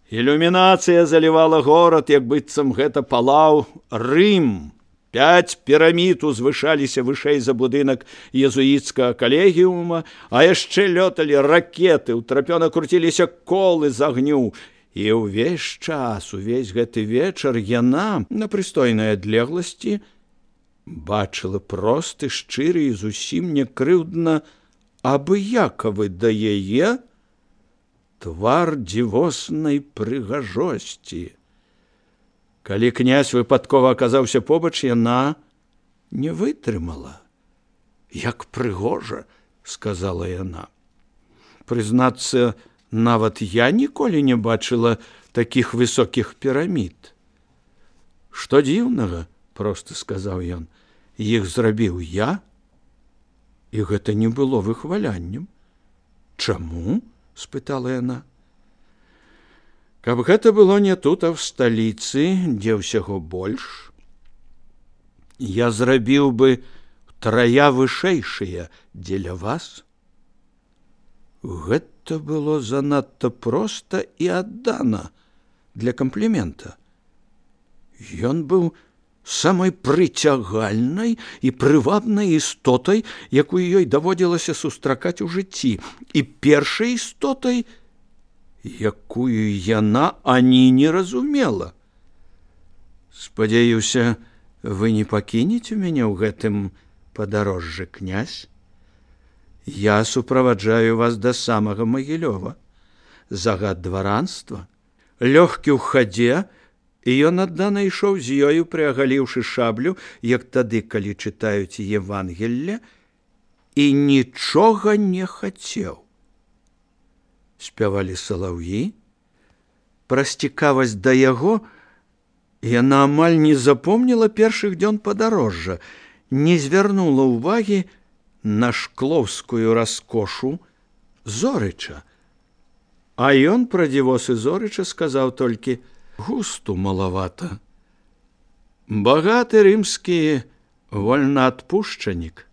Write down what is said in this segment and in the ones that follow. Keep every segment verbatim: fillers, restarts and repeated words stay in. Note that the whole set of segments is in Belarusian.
Ілюмінацыя залівала горад, як быццам гэта палаў Рым. Пяць пірамід узвышаліся вышэй за будынак езуіцкага калегіума, а яшчэ лёталі ракеты, утрапёна круціліся колы з агню. І ўвесь час, увесь гэты вечар яна на прыстойнай адлегласці бачыла просты, шчыры і зусім не крыўдна абыякавы да яе твар дзівоснай прыгажосці. Калі князь выпадкова аказаўся побач, яна не вытрымала. «Як прыгожа», — сказала яна. «Прызнацца, нават я ніколі не бачыла такіх высокіх пірамід». «Што дзіўнага», — проста сказаў ён, — «іх зрабіў я, і гэта не было выхваляннем». «Чаму?» — спытала яна. «Каб гэта было не тут, а в сталіцы, дзе ўсяго больш, я зрабіў бы трая вышэйшыя дзеля вас». Гэта было занадта проста і аддана для камплімента. Ён быў самай прыцягальнай і прывабнай істотай, якую ёй даводзілася сустракаць у жыцці, і першай істотай, якую яна ані не разумела. «Спадзяюся, вы не пакінеце мяне ў гэтым падарожжы, князь? Я суправаджаю вас да самага Магілёва. Загад дваранства, лёгкі ў хадзе, і ён аддана ішоў з ёю, прыагаліўшы шаблю, як тады, калі чытаюць Евангелле, і нічога не хацеў». Спявалі салаўі. Праз цікавасць да яго яна амаль не запомніла першых дзён падарожжа, не звярнула ўвагі на шклоўскую раскошу Зорыча. А ён пра дзівосы Зорыча сказаў толькі: «Густу малавата. Багаты рымскі вольнаадпушчанік».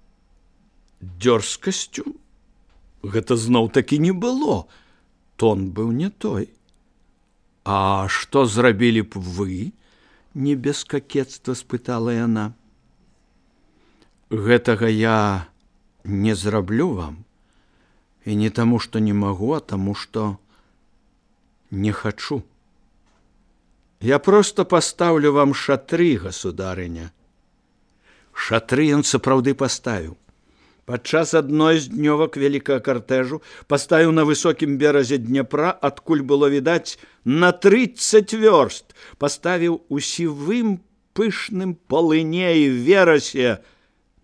Дзёрзкасцю гэта зноў-такі не было. Тон быў не той. «А што зрабілі б вы?» — не без какецтва спытала яна. «Гэтага я не зраблю вам. І не таму, што не магу, а таму, што не хачу. Я проста пастаўлю вам шатры, государыня». Шатры ён сапраўды паставіў. Падчас адной з днёвак вялікага картэжу паставіў на высокім беразе Дняпра, адкуль было відаць на трыццаць вёрст, паставіў у сівым пышным палыне і верасе,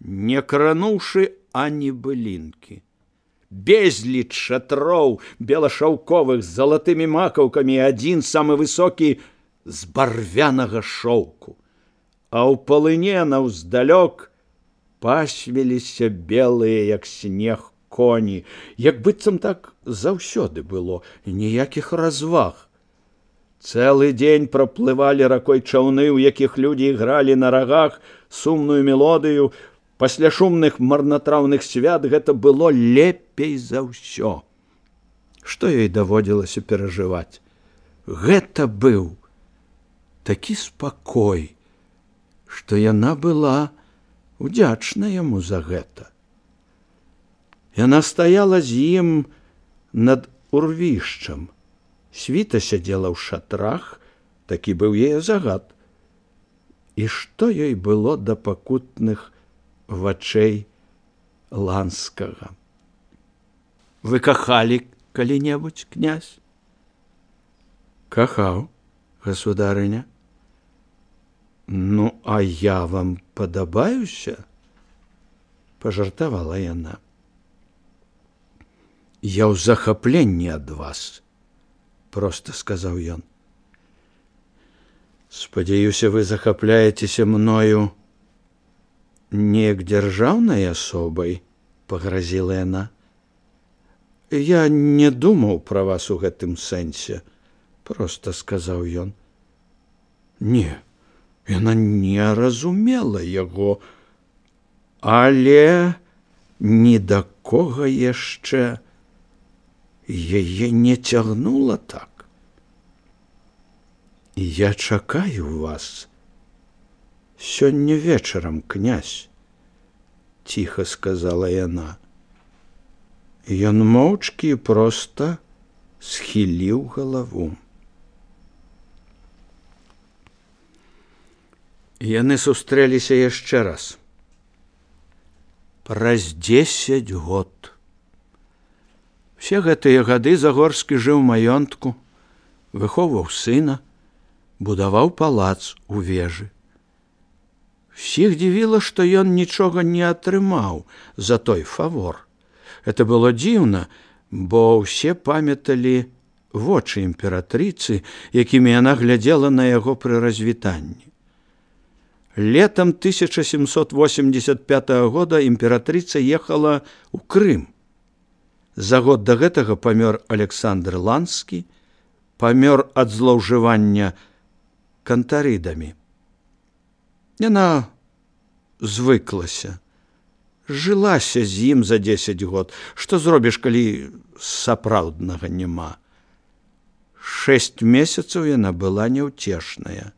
не крануўшы ані былінкі. Безліч шатроў белашаўковых з залатымі макаўкамі, адзін самы высокі з барвянага шоўку. А ў палыне наўздалёк пасвіліся белыя, як снег, коні, як быццам так заўсёды было, ніякіх разваг. Цэлы дзень праплывалі ракой чаўны, у якіх людзі ігралі на рагах сумную мелодыю. Пасля шумных марнатраўных свят гэта было лепей за ўсё. Што ёй даводзілася перажываць? Гэта быў такі спакой, што яна была удзячна яму за гэта. Яна стаяла з ім над урвішчам. Світа сядзела ў шатрах, такі быў яе загад. І што ёй было да пакутных вачэй Ланскага? «Вы кахалі калі-небудзь, князь?» «Кахаў, государыня». «Ну, а я вам падабаюся?» — пажартавала яна. «Я ў захапленні ад вас», — проста сказаў ён. «Спадзяюся, вы захапляецеся мною неяк дзяржаўнай асобай», — пагразіла яна. «Я не думаў пра вас у гэтым сэнсе», — проста сказаў ён. Не, яна не разумела яго, але ні да кога яшчэ яе не цягнула так. Я чакаю вас сёння вечарам, князь, ціха сказала яна. Ён моўчкі проста схіліў галаву. Яны сустрэліся яшчэ раз. Праз дзесяць год. Все гэтыя гады Загорскі жыў у маёнтку, выхоўваў сына, будаваў палац у вежы. Всіх дзівіла, што ён нічога не атрымаў за той фавор. Это было дзіўна, бо ўсе памяталі вочы імператрыцы, якімі яна глядзела на яго пры развітанні. Летом тысяча семьсот восемьдесят пятого года імператрыца ехала ў Крым. За год да гэтага памёр Александр Ланскі, памёр ад злоўжывання кантарыдамі. Яна звыклася, жылася з ім за дзесяць год. Што зробіш, калі сапраўднага няма? Шэсць месяцаў яна была няўцешная.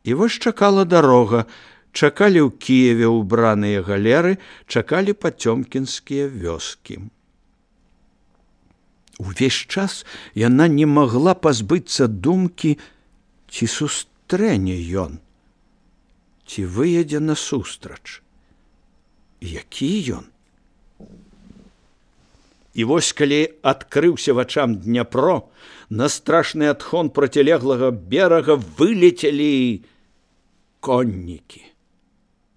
І вось чакала дарога, чакалі ў Кіеве ўбраныя галеры, чакалі пацёмкінскія вёскі. Увесь час яна не магла пазбыцца думкі, ці сустрэне ён, ці выедзе насустрач. Які ён? І вось калі адкрыўся вачам Дняпро, на страшны адхон процілеглага берага вылецелі коннікі.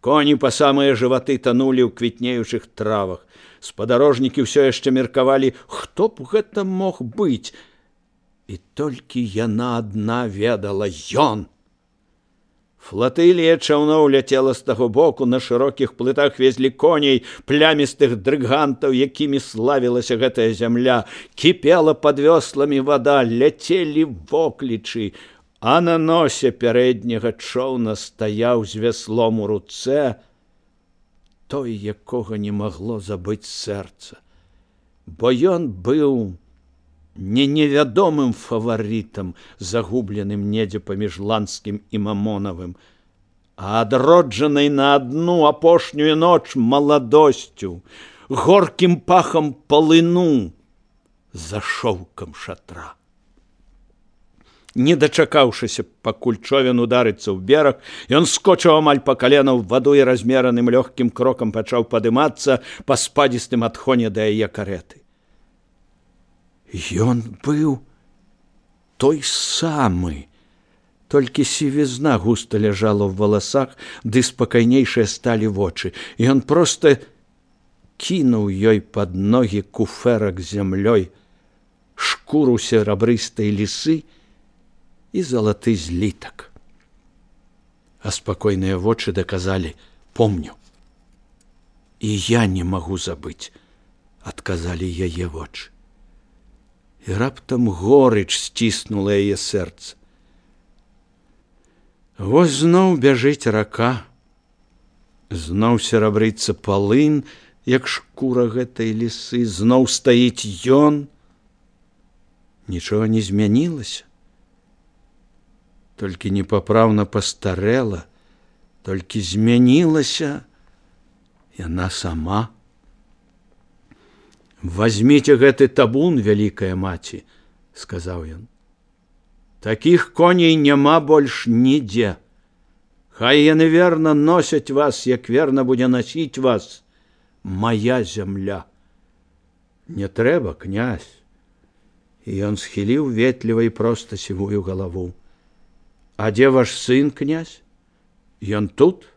Коні па самыя жываты танулі ў квітнеючых травах. Спадарожнікі ўсё яшчэ меркавалі, хто б гэта мог быць. І толькі яна адна ведала ён. Флатылія чаўноў ляцела з таго боку, на шырокіх плытах везлі коней, плямістых дрыгантаў, якімі славілася гэтая зямля. Кіпела пад вёсламі вада, ляцелі воклічы, а на носе пярэдняга чоўна стаяў з вяслом у руцэ той, якога не магло забыць сэрца. Бо ён быў не невядомым фаварытам, загубленым недзе паміж Ланскім і Мамонавым, а адроджанай на адну апошнюю ноч маладосцю, горкім пахам полыну за шоўкам шатра. Не дачакаўшыся, пакуль човен ударыцца ў бераг, ён скочыў амаль па калена ў ваду і размераным лёгкім крокам пачаў падымацца па спадзістым адхоне да яе кареты. Ён быў той самы, толькі сівізна густа ляжала ў валасах, ды спакайнейшыя сталі вочы. Ён проста кінуў ёй пад ногі куфэрак з зямлёй, шкуру серабрыстай лісы і залаты злітак. А спакойныя вочы даказалі: помню. І я не магу забыць, адказалі яе вочы. І раптам горыч сціснула яе сэрца. Вось зноў бяжыць рака, зноў серабрыцца палын, як шкура гэтай лісы, зноў стаіць ён. Нічога не змянілася, толькі непапраўна пастарэла, толькі змянілася яна сама. «Возьмите гэты табун, вялікая маці», – сказаў ён. «Такіх коней няма больш нідзе. Хай яны верна носяць вас, як верна будзе насіць вас моя зямля». «Не трэба, князь». І ён схіліў ветліва і проста сівую галаву. «А дзе ваш сын, князь? Ён тут?»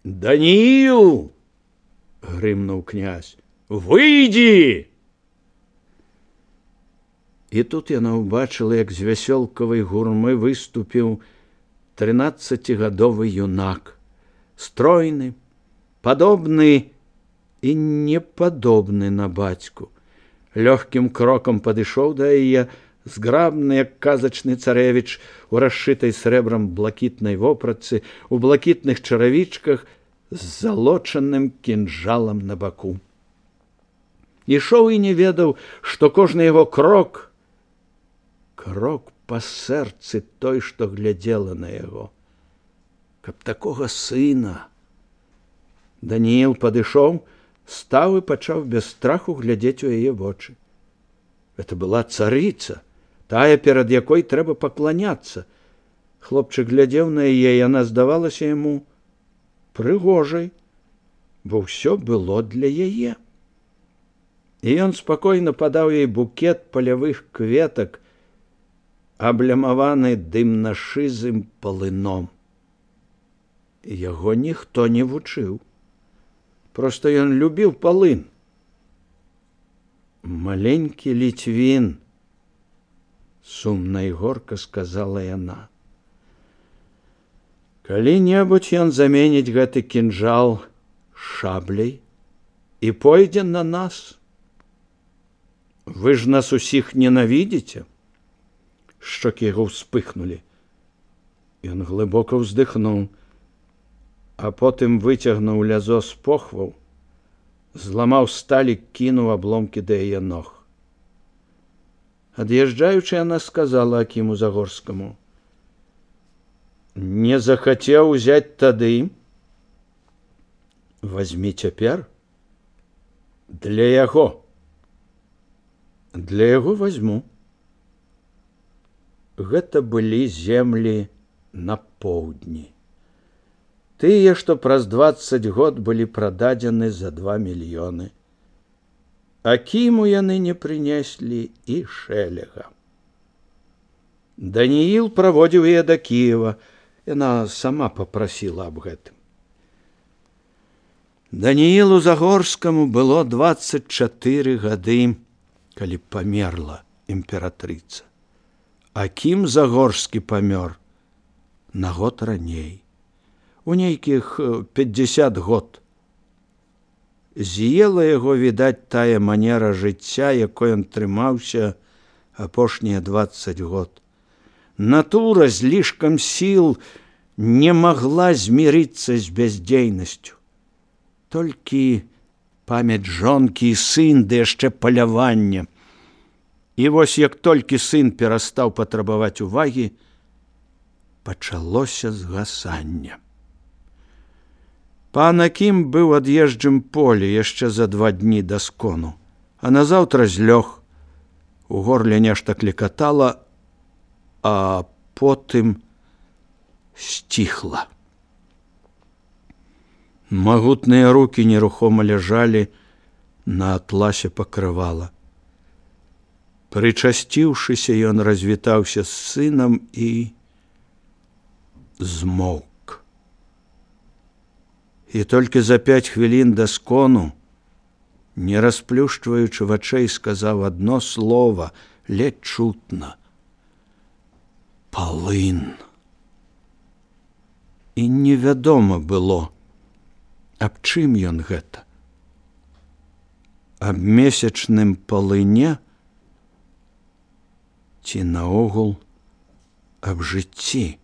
«Даніил!» – грымнуў князь. «Выйди!» І тут яна ўбачыла, як з вясёлкавай гурмы выступіў трынаццацігадовы юнак, стройны, падобны і непадобны на бацьку. Лёгкім крокам падышоў да яе, зграбны, як казачны царэвіч, у расшытай срэбрам блакітнай вопратцы, у блакітных чаравічках з залочаным кінжалам на баку. Ішоў і не ведаў, што кожны яго крок, крок па сэрцы той, што глядзела на яго. Каб такога сына. Данііл падышоў, стаў і пачаў без страху глядзець у яе вочы. Гэта была царыца, тая, перад якой трэба пакланяцца. Хлопчык глядзеў на яе, яна здавалася яму прыгожай, бо ўсё было для яе. І ён спакойна падаў ёй букет палявых кветак, аблямаваны дымна-шызым палыном. Яго ніхто не вучыў. Проста ён любіў палын. Маленькі Ліцвін, сумна і горка сказала яна. Калі-небудзь ён заменіць гэты кінжал шабляй і пойдзе на нас. Вы ж нас усіх ненавідзіце? Шчокі яго ўспыхнулі. Ён глыбока ўздыхнуў, а потым выцягнуў лязо з похваў, зламаў сталь і кінуў абломкі да яе ног. Ад'язджаючы, яна сказала Акіму Загорскаму: не захацеў узяць тады, вазьмі цяпер. Для яго. Для яго вазьму. Гэта былі землі на поўдні. Тыя, што праз дваццаць год былі прададзены за два мільёны. Акіму яны не прынеслі і шэлега. Данііл праводзіў яе да Кіева. Яна сама папрасіла аб гэтым. Даніілу Загорскаму было дваццаць чатыры гады, калі памерла імператрыца. Акім Загорскі памёр на год раней, у нейкіх пятьдесят год. З'ела яго, відаць, тая манера жыцця, якой ён трымаўся апошнія дваццаць год. Натура з лішкам сіл не магла змірыцца з бяздзейнасцю. Толькі памяць жонкі і сын, ды яшчэ паляванне. І вось як толькі сын перастаў патрабаваць увагі, пачалося згасанне. Пан Акім быў ад'езджым полі яшчэ за два дні да скону, а назаўтра злёг. У горле нешта клекатала, а потым сціхла. Магутныя рукі нерухома ляжалі на атласе пакрывала. Прычасціўшыся, ён развітаўся з сынам і змоўк. І толькі за пяць хвілін да скону, не расплюшчваючы вачэй, сказаў адно слова, ледзь чутна: палын. І невядома было, аб чым ён гэта? Аб месячным палыне ці наогул аб жыцці?